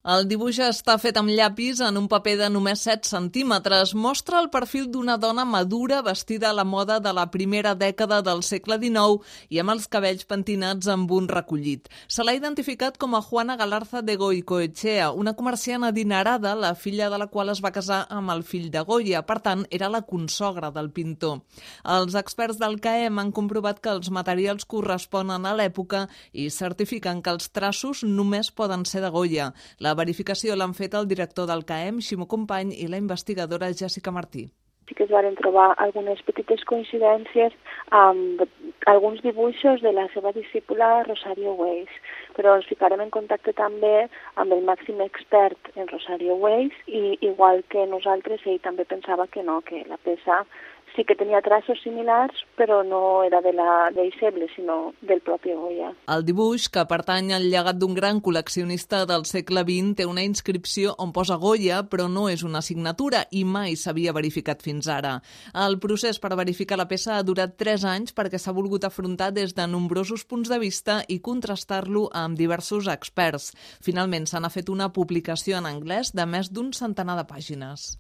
El dibuix està fet amb llapis en un paper de només 7 centímetres. Mostra el perfil d'una dona madura vestida a la moda de la primera dècada del segle XIX i amb els cabells pentinats amb un recollit. Se l'ha identificat com a Juana Galarza de Goicoechea, una comerciant adinerada, la filla de la qual es va casar amb el fill de Goya. Per tant, era la consogra del pintor. Els experts del CAEM han comprovat que els materials corresponen a l'època i certifiquen que els traços només poden ser de Goya. La verificació l'han fet el director del CAEM, Ximo Company, i la investigadora Jessica Martí. Sí que es van trobar algunes petites coincidències amb alguns dibuixos de la seva discípula Rosario Weiss, però ens ficarem en contacte també amb el màxim expert en Rosario Weiss i igual que nosaltres, ell també pensava que no, que la peça sí que tenia traços similars, però no era de la deixeble, sinó del propi Goya. El dibuix, que pertany al llegat d'un gran col·leccionista del segle XX, té una inscripció on posa Goya, però no és una signatura i mai s'havia verificat fins ara. El procés per verificar la peça ha durat 3 anys perquè s'ha volgut afrontar des de nombrosos punts de vista i contrastar-lo amb diversos experts. Finalment, se n'ha fet una publicació en anglès de més d'un centenar de pàgines.